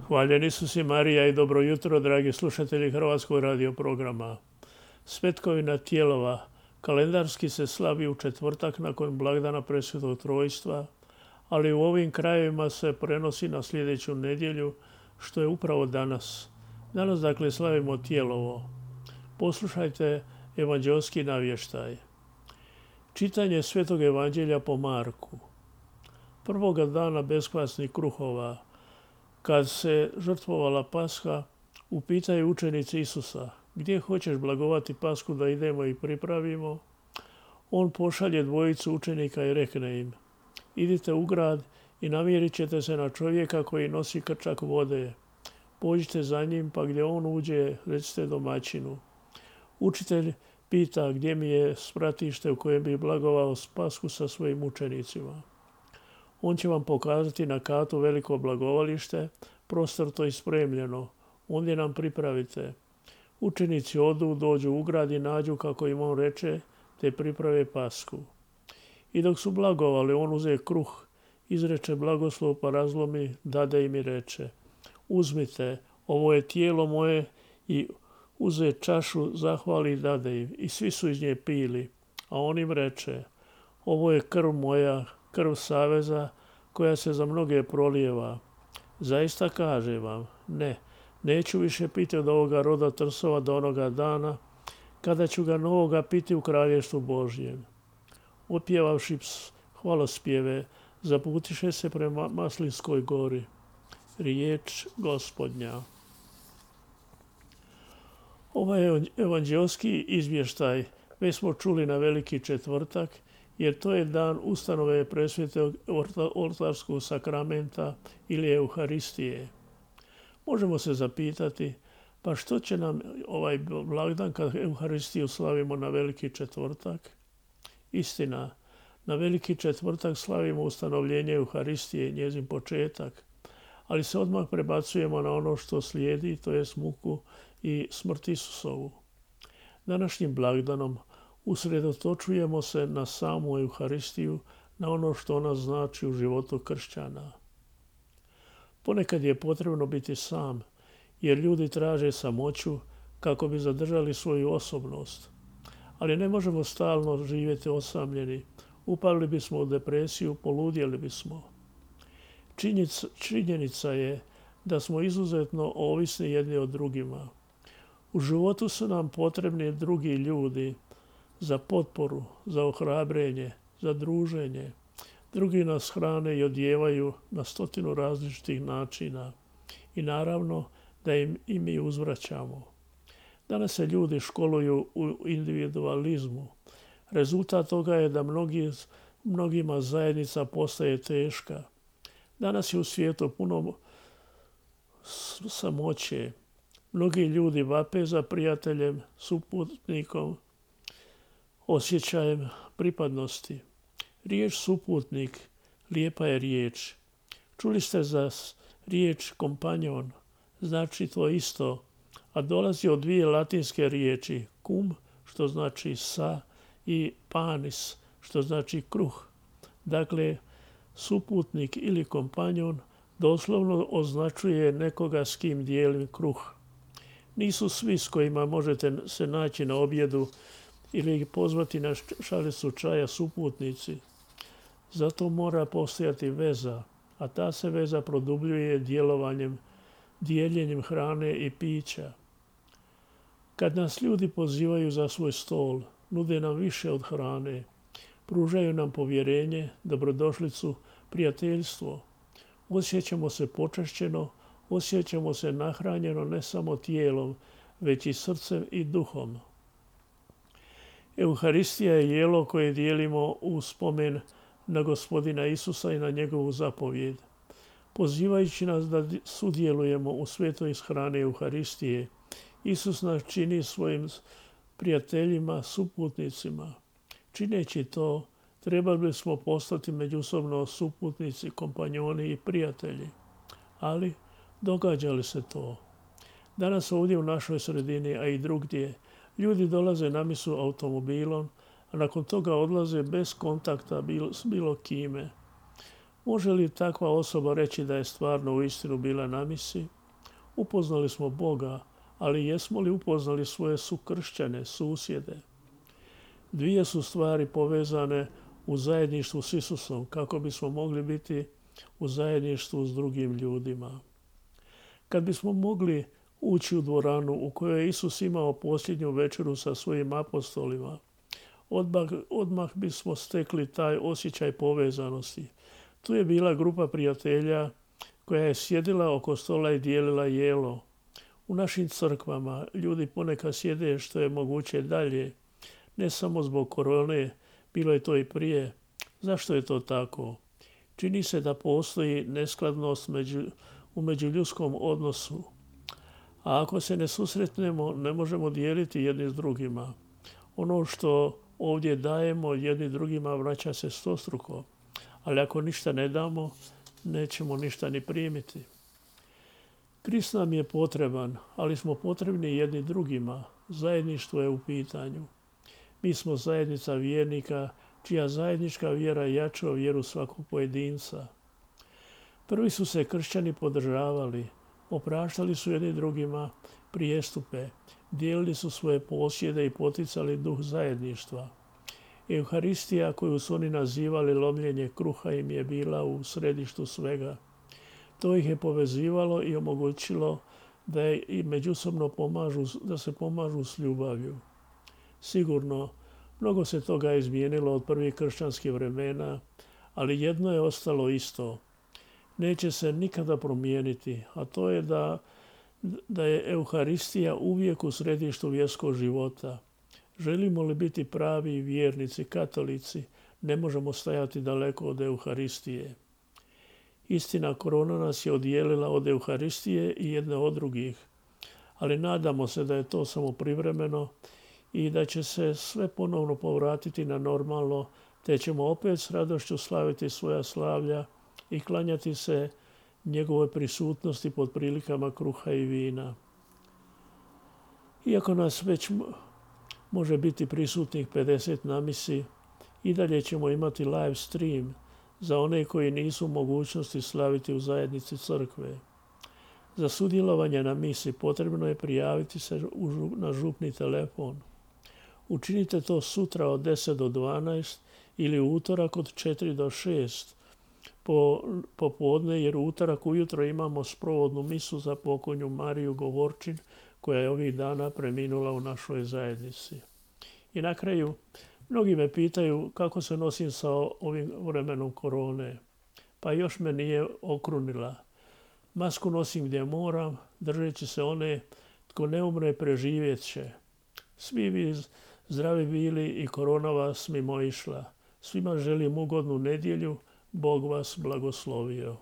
Hvaljen Isus i Marija i dobro jutro, dragi slušatelji Hrvatskog radio programa. Svetkovina tijelova kalendarski se slavi u četvrtak nakon blagdana Presvetog Trojstva, ali u ovim krajevima se prenosi na sljedeću nedjelju, što je upravo danas. Danas dakle slavimo Tijelovo. Poslušajte evanđeoski navještaj. Čitanje Svetog evanđelja po Marku. Prvoga dana beskvasnih kruhova, kad se žrtvovala Pasha, upitaju učenici Isusa: gdje hoćeš blagovati Pashu da idemo i pripravimo? On pošalje dvojicu učenika i rekne im: idite u grad i namjerit ćete se na čovjeka koji nosi krčak vode. Pođite za njim, pa gdje on uđe, recite domaćinu: učitelj pita gdje mi je spratište u kojem bi blagovao Pashu sa svojim učenicima. On će vam pokazati na katu veliko blagovalište, prostorto i spremljeno. Ondje nam pripravite. Učenici odu, dođu u grad i nađu kako im on reče, te priprave Pashu. I dok su blagovali, on uze kruh, izreče blagoslov, pa razlomi, dade im i reče: uzmite, ovo je tijelo moje, i uze čašu, zahvali i dade im. I svi su iz nje pili. A on im reče: ovo je krv moja, krv saveza, koja se za mnoge prolijeva. Zaista kažem vam, neću više piti od ovoga roda trsova do onoga dana, kada ću ga novoga piti u kraljevstvu Božjem. Otpjevavši hvalospjeve, zaputiše se prema Maslinskoj gori. Riječ Gospodnja. Ovaj evanđeoski izvještaj već smo čuli na Veliki četvrtak, jer to je dan ustanove presvetog oltarskog sakramenta ili Euharistije. Možemo se zapitati, pa što će nam ovaj blagdan kad Euharistiju slavimo na Veliki četvrtak? Istina, na Veliki četvrtak slavimo ustanovljenje Euharistije, njezin početak, ali se odmah prebacujemo na ono što slijedi, to jest muku i smrt Isusovu. Današnjim blagdanom usredotočujemo se na samu Euharistiju, na ono što ona znači u životu kršćana. Ponekad je potrebno biti sam, jer ljudi traže samoću kako bi zadržali svoju osobnost. Ali ne možemo stalno živjeti osamljeni. Upali bismo u depresiju, poludjeli bismo. Činjenica je da smo izuzetno ovisni jedni od drugima. U životu su nam potrebni drugi ljudi, za potporu, za ohrabrenje, za druženje. Drugi nas hrane i odjevaju na 100 različitih načina. I naravno da im i mi uzvraćamo. Danas se ljudi školuju u individualizmu. Rezultat toga je da mnogima zajednica postaje teška. Danas je u svijetu puno samoće. Mnogi ljudi vape za prijateljem, suputnikom, osjećajem pripadnosti. Riječ suputnik lijepa je riječ. Čuli ste za riječ kompanjon, znači to isto, a dolazi od dvije latinske riječi: cum, što znači sa, i panis, što znači kruh. Dakle, suputnik ili kompanjon doslovno označuje nekoga s kim dijelim kruh. Nisu svi s kojima možete se naći na objedu ili ih pozvati na šalicu čaja suputnici. Zato mora postojati veza, a ta se veza produbljuje dijeljenjem hrane i pića. Kad nas ljudi pozivaju za svoj stol, nude nam više od hrane, pružaju nam povjerenje, dobrodošlicu, prijateljstvo. Osjećamo se počašćeno, osjećamo se nahranjeno ne samo tijelom, već i srcem i duhom. Euharistija je jelo koje dijelimo u spomen na Gospodina Isusa i na njegovu zapovjed. Pozivajući nas da sudjelujemo u svetoj ishrani Euharistije, Isus nas čini svojim prijateljima, suputnicima. Čineći to, trebali smo postati međusobno suputnici, kompanjoni i prijatelji. Ali događa li se to? Danas ovdje u našoj sredini, a i drugdje, ljudi dolaze na misu automobilom, a nakon toga odlaze bez kontakta s bilo kime. Može li takva osoba reći da je stvarno uistinu bila na misi? Upoznali smo Boga, ali jesmo li upoznali svoje sukršćane, susjede? Dvije su stvari povezane u zajedništvu s Isusom kako bismo mogli biti u zajedništvu s drugim ljudima. Kad bismo mogli ući u dvoranu u kojoj je Isus imao posljednju večeru sa svojim apostolima, odmah bismo stekli taj osjećaj povezanosti. Tu je bila grupa prijatelja koja je sjedila oko stola i dijelila jelo. U našim crkvama ljudi ponekad sjede što je moguće dalje, ne samo zbog korone, bilo je to i prije. Zašto je to tako? Čini se da postoji neskladnost u međuljudskom odnosu. A ako se ne susretnemo, ne možemo dijeliti jedni s drugima. Ono što ovdje dajemo jedni drugima vraća se stostruko. Ali ako ništa ne damo, nećemo ništa ni primiti. Krist nam je potreban, ali smo potrebni jedni drugima. Zajedništvo je u pitanju. Mi smo zajednica vjernika, čija zajednička vjera jača vjeru svakog pojedinca. Prvi su se kršćani podržavali, opraštali su jedni drugima prijestupe, dijelili su svoje posjede i poticali duh zajedništva. Euharistija, koju su oni nazivali lomljenje kruha, im je bila u središtu svega. To ih je povezivalo i omogućilo da i međusobno da se pomažu s ljubavlju. Sigurno, mnogo se toga izmijenilo od prvih kršćanskih vremena, ali jedno je ostalo isto. Neće se nikada promijeniti, a to je da je Euharistija uvijek u središtu vjerskog života. Želimo li biti pravi vjernici, katolici, ne možemo stajati daleko od Euharistije. Istina, korona nas je odijelila od Euharistije i jedne od drugih, ali nadamo se da je to samo privremeno i da će se sve ponovno povratiti na normalno, te ćemo opet s radošću slaviti svoja slavlja i klanjati se njegove prisutnosti pod prilikama kruha i vina. Iako nas već može biti prisutnih 50 na misi, i dalje ćemo imati live stream za one koji nisu u mogućnosti slaviti u zajednici crkve. Za sudjelovanje na misi potrebno je prijaviti se na župni telefon. Učinite to sutra od 10 do 12 ili u utorak od 4 do 6 popodne, jer u utorak ujutro imamo sprovodnu misu za pokojnu Mariju Govorčin, koja je ovih dana preminula u našoj zajednici. I na kraju, mnogi me pitaju kako se nosim sa ovim vremenom korone. Pa još me nije okrunila. Masku nosim gdje moram, držeći se one tko ne umre preživjet će. Svi vi zdravi bili i korona vas mimoišla. Svima želim ugodnu nedjelju, Bog vas blagoslovio.